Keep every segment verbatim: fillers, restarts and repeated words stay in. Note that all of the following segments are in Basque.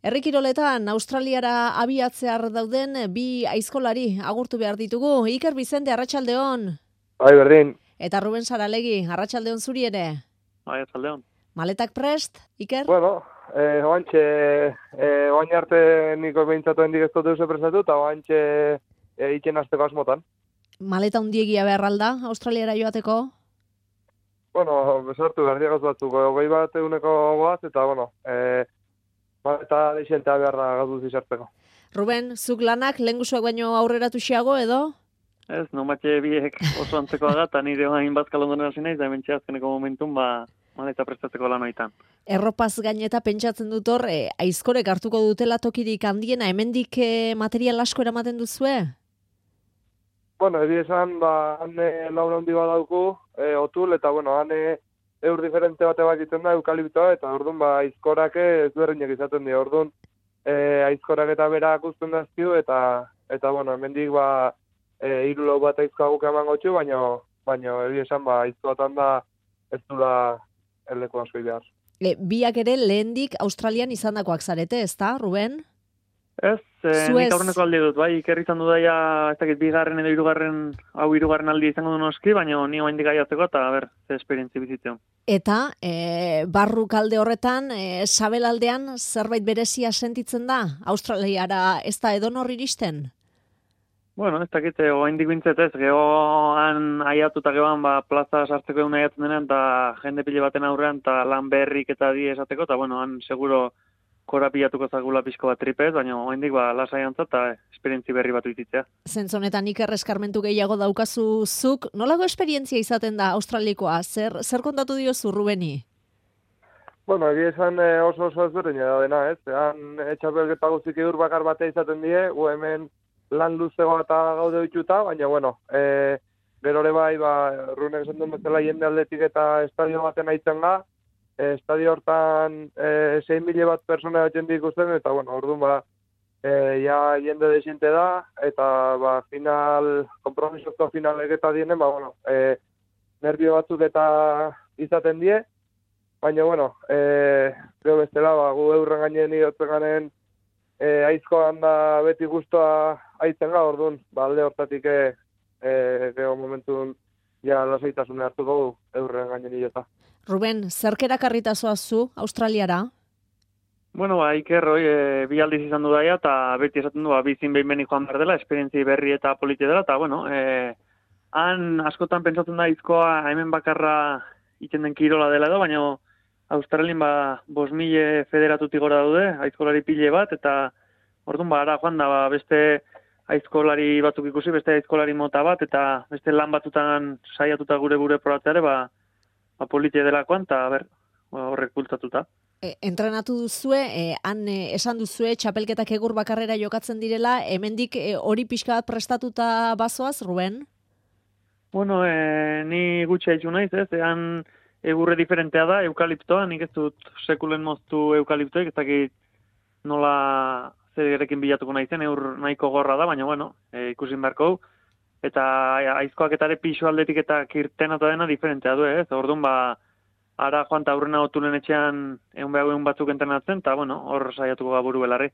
Herri kiroletan Australiara abiatzear dauden bi aizkolari agurtu behar ditugu. Iker Bizente, arratsaldeon. Bai, berdin. Eta Ruben Saralegi, arratsaldeon zuri ere. Bai, arratsaldeon. Maletak prest, Iker? Bueno, eh, oantxe, eh, oain arte niko behintzatu hendik ez dut eusen prestatu, eta oantxe eh, iken azteko asmotan. Maleta hundiegia behar alda, Australiara joateko? Bueno, besartu behar diagaz batzuk, hogei bat eguneko goaz, eta bueno, eh, maleta deixentea beharra gauduz izartzeko. Ruben, zuk lanak lehengusuak baino aurreratu xiago edo? Ez, nomatxe biek oso antzekoa da, eta nire hain bazkalondonen hasi naiz, da hementxe azkeneko momentun, ba, maleta prestatzeko lan hoitan. Erropaz gaineta pentsatzen dut hor, eh, aizkorek hartuko dutela tokirik handiena, hemendik eh, material asko eramaten duzue? Bueno, ebi esan, ba, hane laura handi bat dauku, e, otul, eta bueno, hane eur diferente bate bat egiten da, eukaliptoa, eta orduan, ba, aizkorak ez berdinak izaten dira, orduan, e, aizkorak eta berak usten dazkiu, eta, eta bueno, hemendik, ba, e, hiru lau bat aizkoa guk eman gotxu, baina, baina, ebi esan, ba, aizkoatan da, ez dula erdeko asko behar. E, biak ere lehendik Australian izandakoak zarete, ezta, Ruben? Ez, e, Zuez. nik aurreneko aldi dut, bai, Iker izan du daia, ez dakit, bigarren edo hirugarren, hau hirugarren aldi izango du noski, baina ni oraindik gaiatzeko, eta ber, ze esperientzi bizitzen. Eta e, barruk alde horretan, e, sabelaldean zerbait berezia sentitzen da? Australiara ez da edonor iristen? Bueno, ez dakit, oraindik bintzet ez, gehoan aiatu eta gehoan, ba, plaza sartzeko egun aiatzen denean, eta jende pile baten aurrean, eta lan berrik eta di esateko, eta bueno, han seguro korapilatuko zagula pixko bat tripez, baina oraindik ba, lasai antza eta esperientzi berri bat uititzea. Zentzonetan Iker eskarmentu gehiago daukazu zuk, nolago esperientzia izaten da australikoa? Zer, zer kontatu diozu Rubeni? Bueno, egia esan eh, oso oso ezberdina da dena, ez? Han etxapelketa guztik eur bakar batea izaten die, gu hemen lan luzego eta gaude dituta, baina bueno, e, gero ere bai, ba, Runek esan duen bezala jende aldetik eta estadio baten aitzen ga, e, estadio hortan e, sei mila bat persona batzen ikusten, eta bueno, orduan ba, e, ja jende desiente da, eta ba, final, kompromisozko final egeta dienen, ba, bueno, e, nervio batzuk eta izaten die, baina, bueno, e, gero bestela, ba, gu eurren gainen idotzen ganen, e, aizkoan da beti guztua aitzen ga, orduan, ba, alde hortatik e, e, gero momentun ja lasaitasune hartuko gu eurren gainen idota. Ruben, zerkera karritazoa zu Australiara? Bueno, ba, Iker, hoi, e, bi aldiz izan du daia, eta beti esaten du, ba, bizin behin behin joan behar dela, esperientzi berri eta politi dela, eta, bueno, e, han askotan pentsatzen da izkoa hemen bakarra iten den kirola dela edo, baina Australien ba, bos mila federatutik gora daude, aizkolari pile bat, eta orduan ba, ara joan da, ba, beste aizkolari batzuk ikusi, beste aizkolari mota bat, eta beste lan batzutan saiatuta gure gure probatzeare, ba, ba politia delakoan, eta ber, horrek bultzatuta. E, entrenatu duzue, e, han e, esan duzue, txapelketak egur bakarrera jokatzen direla, hemendik e, hori pixka bat prestatuta bazoaz, Ruben? Bueno, e, ni gutxi haitxu naiz, ez, ean egurre diferentea da, eukaliptoa, nik ez dut sekulen moztu eukaliptoik, ez dakit nola zerekin bilatuko nahi zen, eur nahiko gorra da, baina bueno, e, ikusin beharko, eta aizkoak eta ere pixu aldetik eta kirtenata dena diferentea du, ez, orduan ba, ara joan eta aurrena otulen etxean egun behar egun batzuk entrenatzen, eta bueno, hor saiatuko gaburu belarri.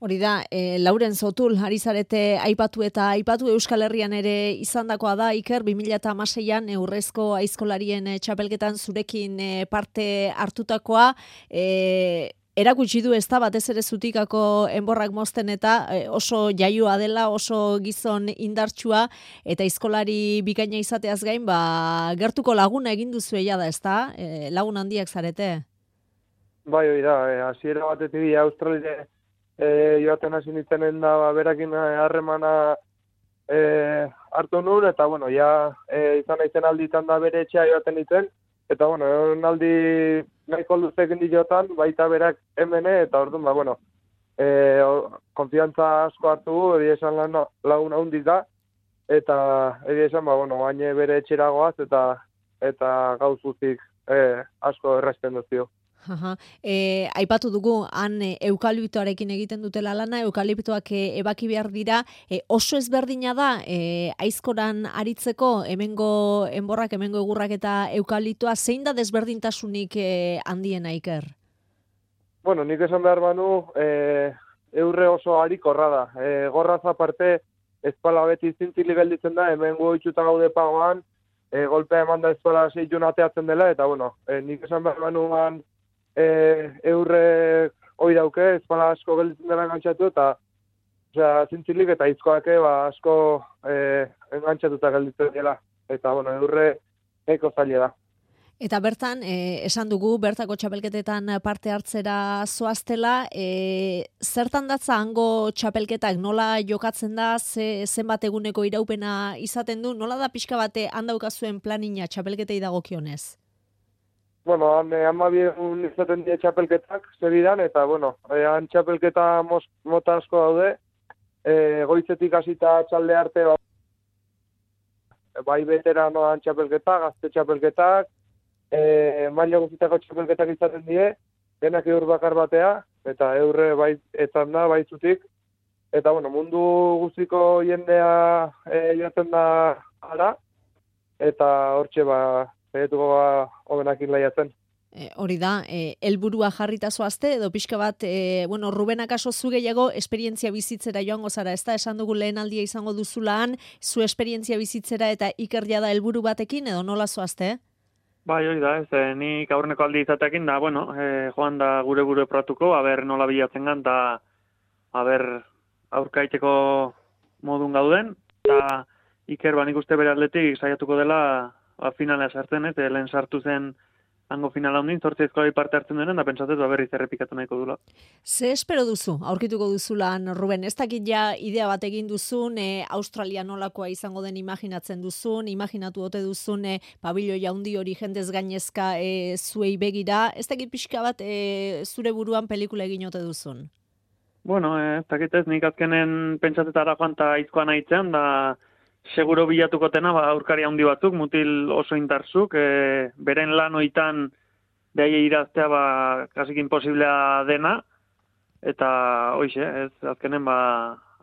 Hori da, e, Lauren Zotul, ari zarete aipatu eta aipatu Euskal Herrian ere izandakoa da, Iker, bi mila hamaseian eurrezko aizkolarien e, txapelketan zurekin e, parte hartutakoa, e, erakutsi du ez da batez ere zutikako enborrak mozten eta e, oso jaioa dela, oso gizon indartsua, eta aizkolari bikaina izateaz gain, ba, gertuko laguna egin duzu da, ez da? E, lagun handiak zarete? Bai, hori da, e, hasiera batetik Australia E, joaten hasi nintzenen da, ba, berakin harremana e, hartu nuen, eta, bueno, ja, e, izan naizen alditan da bere etxea joaten nintzen, eta, bueno, egon aldi nahiko luzekin diotan, baita berak hemene, eta orduan, ba, bueno, e, konfiantza asko hartu gu, edo esan lan, lagun handiz da, eta, edo esan, ba, bueno, baina bere etxeragoaz, eta, eta gauz guztik e, asko errazten duzio. Aha. E, aipatu dugu, han e, eukaliptoarekin egiten dutela lana, eukaliptoak e, ebaki behar dira, e, oso ezberdina da, e, aizkoran aritzeko, hemengo enborrak, hemengo egurrak eta eukaliptoa, zein da desberdintasunik e, handiena, Iker? bueno, nik esan behar banu, e, eurre oso harikorra da. E, gorraz aparte, espala beti zintzili gelditzen da, hemen goitxuta gaude pagoan, e, golpea eman da espala seitun ateatzen dela, eta bueno, e, nik esan behar banuan e, eurre hoi dauke, espala asko gelditzen dela engantzatu, eta osea, zintzilik eta izkoake ba, asko e, engantzatuta gelditzen dela. Eta bueno, eurre eko zaila da. Eta bertan, eh, esan dugu, bertako txapelketetan parte hartzera zoaztela, eh, zertan datza hango txapelketak, nola jokatzen da, ze, zenbat eguneko iraupena izaten du, nola da pixka bate handaukazuen planina txapelketei dagokionez? Bueno, han eh, amabiegun izaten die txapelketak, zeridan, eta bueno, eh, han txapelketa mos, mota asko daude, eh, goizetik hasita txalde arte, ba, bai veteranoan txapelketak, gazte txapelketak, E, maila guztietako txapelketak izaten die, denak eur bakar batea, eta eurre bai etan da, baitzutik. Eta, bueno, mundu guztiko jendea e, joaten da ara, eta hortxe ba, zaituko ba, hobenakin laiatzen. E, hori da, e, helburua jarrita zoazte, edo pixka bat, e, bueno, Ruben akaso zu gehiago esperientzia bizitzera joango zara, ez da, esan dugu lehen aldia izango duzulaan, zu esperientzia bizitzera eta ikerria da helburu batekin, edo nola zoazte, eh? Bai, hori da, ez, eh, nik aurreneko aldi izatekin da, bueno, eh, joan da gure gure pratuko, aber nola bilatzen gan, da, aber aurkaiteko modun gauden, eta Iker ba nik uste bere atletik saiatuko dela ba, finala sartzen, ez, eh, lehen sartu zen hango finala hundin, zortzizkoa parte hartzen duen, da pentsatez ba berriz errepikatu nahiko dula. Ze espero duzu, aurkituko duzulan, Ruben, ez dakit ja idea bat egin duzun, e, Australia nolakoa izango den imaginatzen duzun, imaginatu ote duzun, e, pabiloi handi hori jendez gainezka e, zuei begira, ez dakit pixka bat e, zure buruan pelikula egin ote duzun? Bueno, ez dakit ez, nik azkenen pentsatetara joan eta aizkoan aitzen, da seguro bilatuko tena, ba, aurkari handi batzuk, mutil oso indartzuk, e, beren lan oitan behaie iraztea, ba, kasik imposiblea dena, eta hoize, ez, azkenen, ba,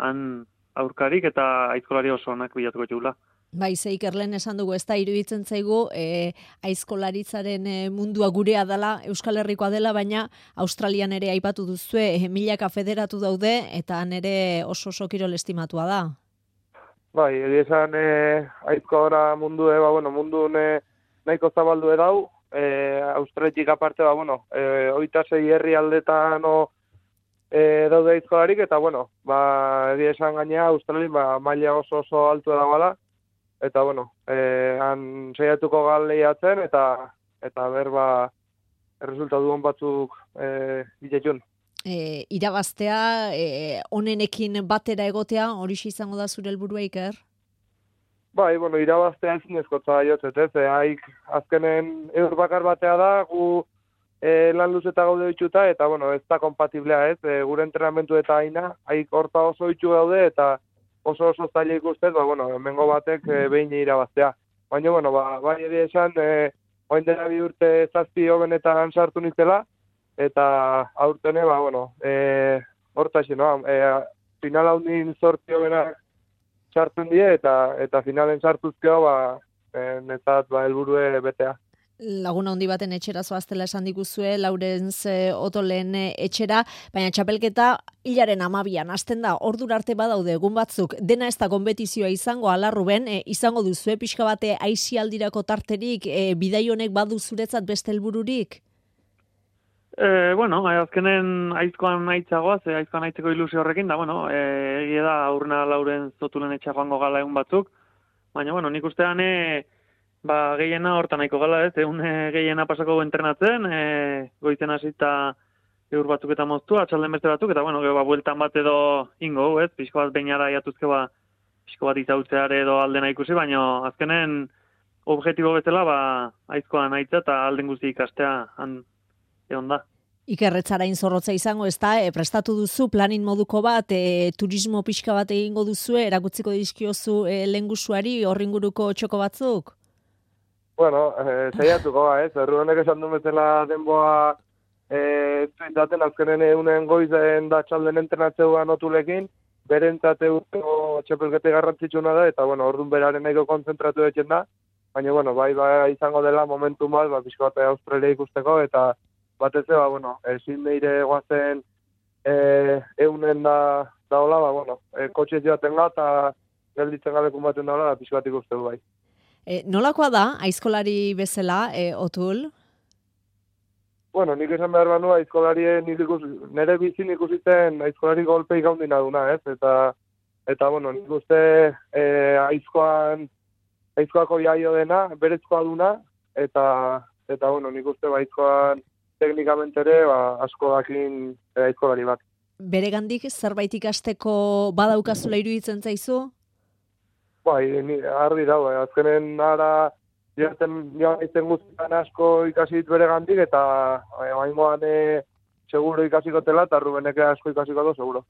han aurkarik eta aizkolari oso onak bilatuko txula. Bai, ze Ikerlen esan dugu, ez da, iruditzen zaigu, e, aizkolaritzaren e, mundua gurea dela, Euskal Herrikoa dela, baina Australian ere aipatu duzue, e, milaka federatu daude, eta nere oso oso kirol estimatua da. Bai, egia esan eh, aizkoa mundu, eh, ba, bueno, mundu ne, nahiko zabaldu edau, eh, Australiatik aparte, ba, bueno, eh, oita sei herri aldetan no, eh, daude aizkolarik, eta, bueno, ba, egia esan gainea, Australian ba, maila oso oso altu edabala, eta, bueno, eh, han saiatuko galeiatzen, eta, eta ber, ba, erresultatu hon batzuk eh, biletun. E, irabaztea, e, onenekin batera egotea, hori izango da zure helburua, Iker? Bai, bueno, irabaztea ezin ezkotza jotzet, ez, e, haik azkenen eur bakar batea da, gu e, lan luzeta gaude ditxuta, eta, bueno, ez da kompatiblea, ez, e, gure entrenamentu eta aina, haik horta oso ditxu gaude, eta oso oso zaila ikustez, ba, bueno, hemengo batek e, behin irabaztea. Baina, bueno, ba, bai ere esan, e, oin dela bi urte zazpi hobenetan sartu nintzela, eta aurtene, ba, bueno, e, hortaxe, no? E, final haundin zortzi hobenak sartzen die, eta eta finalen sartuzkeo, ba, e, netzat, ba, helburue betea. Laguna handi baten etxera zoaztela esan diguzue, Laurentz e, Otolen etxera, baina txapelketa hilaren amabian, hasten da, ordura arte badaude egun batzuk, dena ez da konbetizioa izango, ala Ruben, e, izango duzue pixka bate aisialdirako tarterik, e, bidai honek badu zuretzat beste helbururik? E, bueno, azkenen aizkoan aitzagoaz, e, aizkoan aitzeko ilusio horrekin, da, bueno, e, egia da aurrena Lauren Zotulen etxa joango gala egun batzuk, baina, bueno, nik ustean, e, ba, gehiena hortan nahiko gala, ez, egun e, gehiena pasako entrenatzen, e, goizen hasita eur batzuk eta moztu, atxalden beste batzuk, eta, bueno, ba, bueltan bat edo ingo, ez, pixko bat beinara jatuzke, ba, pixko bat izautzeare edo aldena ikusi, baina azkenen objektibo bezala, ba, aizkoan aitza eta alden guzti ikastea, han, egon da. Ikerretzarain zorrotza izango, ez da, e, prestatu duzu planin moduko bat, e, turismo pixka bat egingo duzu, erakutziko dizkiozu e, lehengusuari horringuruko txoko batzuk? Bueno, eh, saiatuko ba, ez, erru honek esan du bezala denboa eh, daten azkenen eunen goizen da txalden entrenatzeuan otulekin, berentzat eurko txapelkete garrantzitsuna da, eta, bueno, orduan beraren nahiko konzentratu etxen da, baina, bueno, bai, bai, izango dela momentu bat, ba, pixko bat Australia ikusteko, eta batez ere, ba, bueno, ezin meire guazen e, eunen da, da hola, ba, bueno, e, kotxe joaten ga, eta gelditzen galekun baten da hola, da pixkatik uste du bai. E, nolakoa da, aizkolari bezala, e, Otul? Bueno, nik esan behar banu, aizkolarien ikus, nire bizin ikusitzen aizkolari golpei gaundina duna, ez? Eta, eta bueno, nik uste e, aizkoan, aizkoako jaio dena, berezkoa duna, eta, eta bueno, nik uste aizkoan teknikamente ere, ba, asko dakin e, aizkolari bat. Beregandik zerbait ikasteko badaukazula iruditzen zaizu? Bai, ni, argi dago, eh? Azkenen ara, Joaten joan guztietan asko ikasi dit bere gandik, eta baingoan e, seguro ikasiko tela, eta Rubeneke asko ikasiko du, seguro.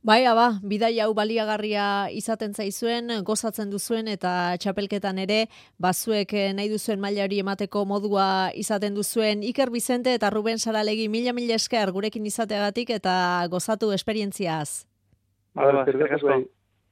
Bai, aba, bidai hau baliagarria izaten zaizuen, gozatzen duzuen, eta txapelketan ere, bazuek nahi duzuen mailari emateko modua izaten duzuen. Iker Bizente eta Ruben Saralegi mila mila esker gurekin izateagatik, eta gozatu esperientziaz. Ba, ba,